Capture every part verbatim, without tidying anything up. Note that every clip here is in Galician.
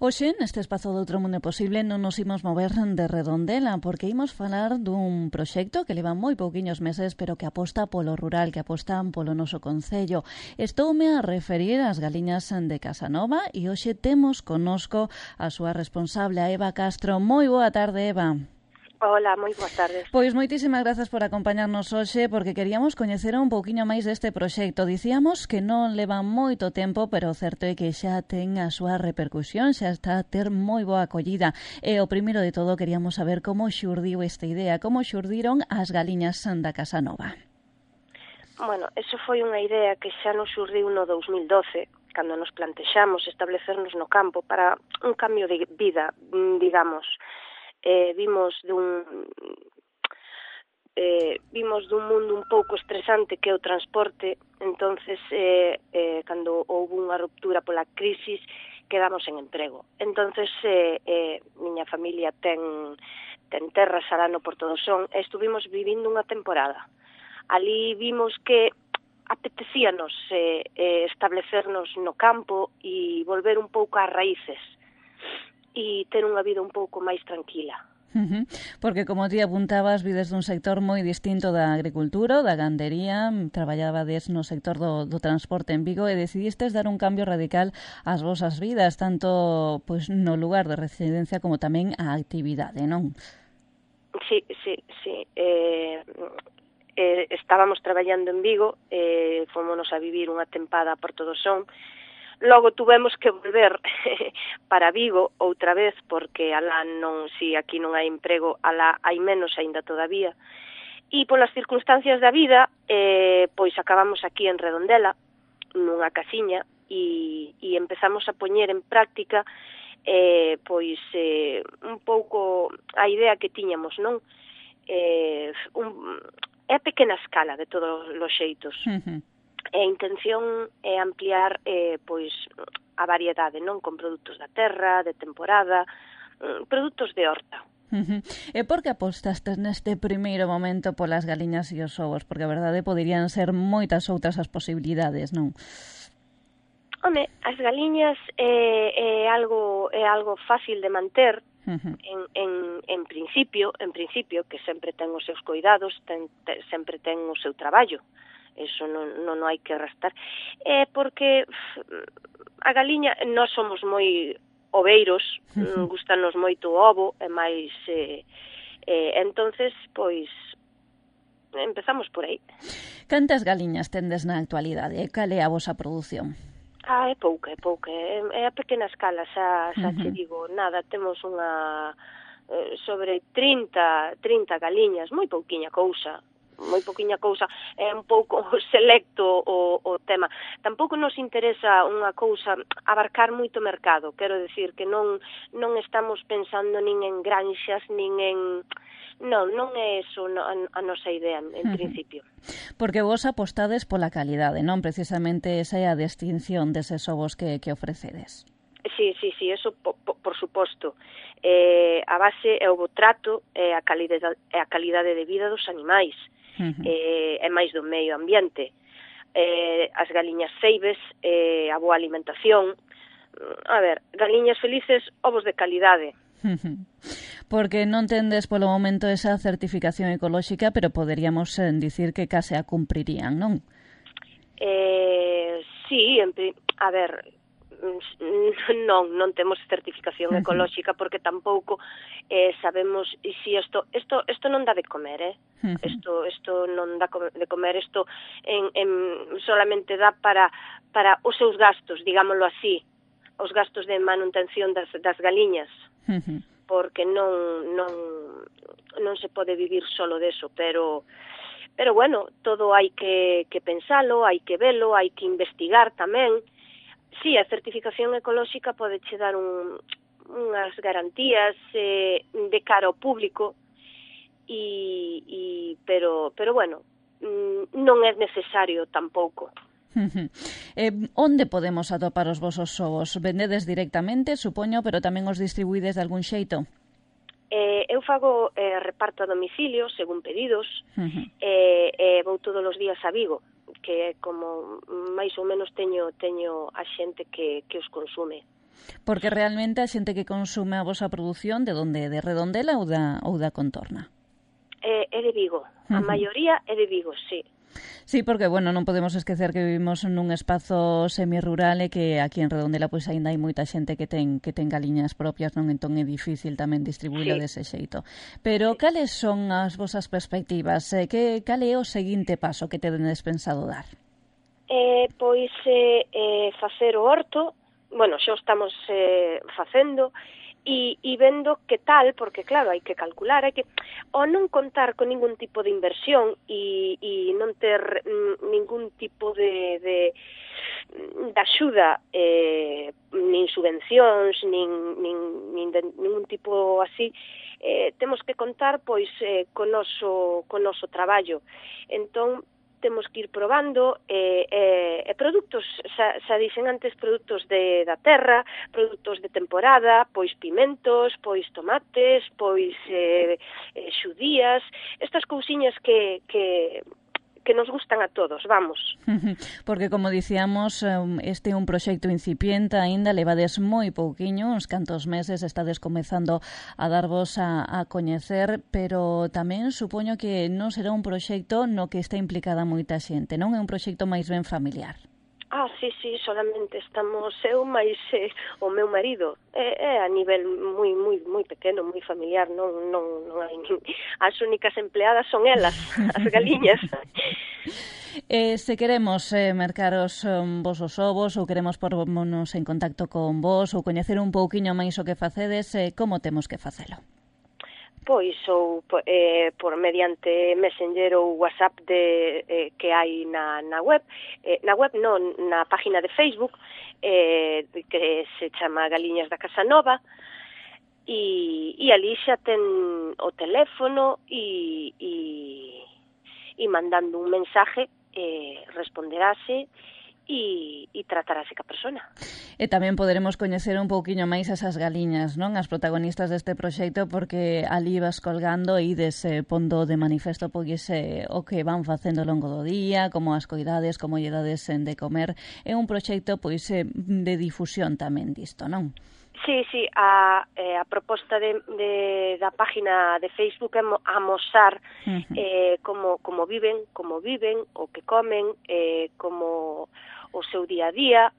Hoxe, neste espazo do Outro Mundo Posible, non nos imos mover de Redondela, porque imos falar dun proxecto que leva moi pouquiños meses, pero que aposta polo rural, que aposta polo noso concello. Estoume a referir ás galiñas de Casanova e hoxe temos connosco a súa responsable, a Eva Castro. Moi boa tarde, Eva. Hola, moi boas tardes. Pois moitísimas grazas por acompañarnos hoxe, porque queríamos coñecer un pouquiño máis deste proxecto. Dicíamos que non leva moito tempo, pero o certo é que xa ten a súa repercusión, xa está a ter moi boa acollida. E o primeiro de todo queríamos saber como xurdiu esta idea, como xurdiron as galiñas da Casanova. Bueno, eso foi unha idea que xa nos xurdiu no dous mil doce, cando nos plantexamos establecernos no campo para un cambio de vida, digamos. Eh, vimos dun eh, vimos dun mundo un pouco estresante que é o transporte. Entonces eh, eh, cando houve unha ruptura pola crisis quedamos en emprego. Entonces eh, eh, miña familia ten ten terras alá no Porto do Son e estuvimos vivindo unha temporada. Ali vimos que apetecíanos eh, eh, establecernos no campo e volver un pouco ás raíces e ter unha vida un pouco máis tranquila. Uh-huh. Porque, como ti apuntabas, vides dun sector moi distinto da agricultura, da gandería, traballabades no sector do, do transporte en Vigo e decidistes dar un cambio radical ás vosas vidas, tanto pois, no lugar de residencia como tamén a actividade, non? Sí, sí, sí. Eh, eh, estábamos traballando en Vigo, eh, fomos a vivir unha tempada a Porto do Son. Logo tuvemos que volver para Vigo outra vez, porque alá non, si aquí non hai emprego, alá hai menos aínda todavía. E polas circunstancias da vida, eh, pois acabamos aquí en Redondela, nunha casiña, e, e empezamos a poñer en práctica eh, pois eh, un pouco a idea que tiñamos, non? Eh, un, é a pequena escala de todos os xeitos. Uh-huh. E a intención é ampliar eh, pois a variedade, non, con produtos da terra, de temporada, produtos de horta. Uh-huh. E por que apostastes neste primeiro momento polas galiñas e os ovos? Porque a verdade poderían ser moitas outras as posibilidades, non? Home, as galiñas é, é algo é algo fácil de manter. Uh-huh. en, en, en principio, en principio, que sempre ten os seus cuidados, ten, ten, sempre ten o seu traballo. Eso non, non hai que restar. É porque a galiña, nós somos moi oveiros, uh-huh. gustanos moito o ovo, e máis eh, eh, entonces, pois empezamos por aí. Cantas galiñas tendes na actualidade? E cal é a vosa produción? Ah, é pouca, é pouca, é, é a pequena escala, xa, xa uh-huh. che digo, nada, temos unha eh, sobre trinta, trinta galiñas, moi pouquiña cousa. moi pouquiña cousa, é un pouco selecto o, o tema. Tampouco nos interesa unha cousa, abarcar moito mercado, quero decir que non non estamos pensando nin en granxas, nin en... Non, non é eso a, a nosa idea, en uh-huh. principio. Porque vos apostades pola calidade, non? Precisamente esa é a distinción deses ovos que, que ofrecedes. Sí, sí, sí, eso por, por suposto. Eh, a base é o bo trato e a calidade, a calidade de vida dos animais. Uh-huh. eh, é máis do medio ambiente, eh, as galiñas ceibes, eh, a boa alimentación. A ver, galiñas felices, ovos de calidade. Uh-huh. Porque non tendes polo momento esa certificación ecolóxica, pero poderíamos eh, dicir que case a cumprirían, non? Eh, sí, en, a ver... non, non temos certificación ecolóxica porque tampouco eh, sabemos si isto, isto, isto non dá de comer, eh? Uh-huh. Isto, isto non dá de comer, isto en, en, solamente dá para, para os seus gastos, digámoslo así, os gastos de manutención das, das galiñas, uh-huh. porque non, non, non se pode vivir solo deso, pero... Pero bueno, todo hai que, que pensalo, hai que velo, hai que investigar tamén. Sí, a certificación ecolóxica pode che dar un, unhas garantías eh, de cara ao público, e, e, pero, pero bueno, non é necesario tampouco. Uh-huh. Eh, onde podemos atopar os vosos ovos? Vendedes directamente, supoño, pero tamén os distribuídes de algún xeito? Eh, eu fago eh, reparto a domicilio, según pedidos, uh-huh. e eh, eh, vou todos os días a Vigo, que como máis ou menos teño teño a xente que, que os consume. Porque realmente a xente que consume a vosa produción de onde? De Redondela ou da, ou da contorna? É, é de Vigo. A uh-huh. maioría é de Vigo, sí. Sí, porque, bueno, non podemos esquecer que vivimos nun espazo semirural e que aquí en Redondela pois aínda hai moita xente que ten que ten galiñas propias, non? Entón é difícil tamén distribuílo sí. dese xeito. Pero sí. cales son as vosas perspectivas? Eh, que, cal é o seguinte paso que tedes pensado dar? Eh, pois eh, eh, facer o horto, bueno, xa o estamos eh, facendo, E, e vendo que tal, porque claro, hai que calcular, hai que ou non contar con ningún tipo de inversión e, e non ter mm, ningún tipo de, de, de axuda, eh, nin subvencións, nin, nin, nin de, ningún tipo así, eh, temos que contar pois eh, con noso, con noso traballo. Entón, temos que ir probando e eh, eh, produtos, xa, xa dixen antes, produtos de, da terra, produtos de temporada, pois pimentos, pois tomates, pois eh, eh, xudías, estas cousiñas que, que, que nos gustan a todos, vamos. Porque, como dicíamos, este é un proxecto incipiente, aínda levades moi pouquiño, uns cantos meses, estades comezando a darvos a, a coñecer, pero tamén supoño que non será un proxecto no que está implicada moita xente, non? É un proxecto máis ben familiar. Ah, sí, sí, solamente estamos eu máis eh, o meu marido. É, é a nivel moi moi moi pequeno, moi familiar, non non non hai as únicas empleadas son elas, as galiñas. Eh, se queremos eh, mercar os um, vosos ovos ou queremos pornos en contacto con vos ou coñecer un pouquiño máis o que facedes, eh, como temos que facelo? Pois ou eh, por mediante Messenger ou WhatsApp de, eh, que hai na, na web, eh, na web non, na página de Facebook, eh, que se chama Galiñas da Casa Nova, e, e ali xa ten o teléfono e, e, e mandando un mensaje eh, responderase e, e tratarase ca persona. E tamén poderemos coñecer un pouquiño máis esas galiñas, non? As protagonistas deste proxecto, porque ali vas colgando e ides eh, pondo de manifesto pois, eh, o que van facendo ao longo do día, como as coidades, como lle dades de comer. É un proxecto pois eh, de difusión tamén disto, non? Sí, sí, a, eh, a proposta de, de, da página de Facebook é amosar uh-huh. eh, como, como viven, como viven, o que comen, eh, como o seu día a día,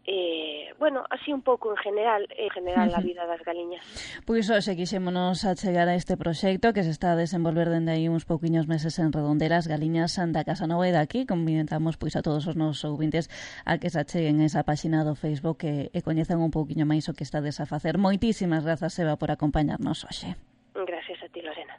eh, bueno, así un pouco en general, en general uh-huh. a vida das galiñas. Pois hoxe quixémonos a chegar a este proxecto que se está a desenvolver dende aí uns pouquiños meses en Redondela, as galiñas da Casa Nova, e daqui convidamos pois a todos os nosos ouvintes a que se acheguen esa páxina do Facebook e, e coñezan un pouquiño máis o que estades a facer. Moitísimas grazas, Eva, por acompañarnos hoxe. Gracias a ti, Lorena.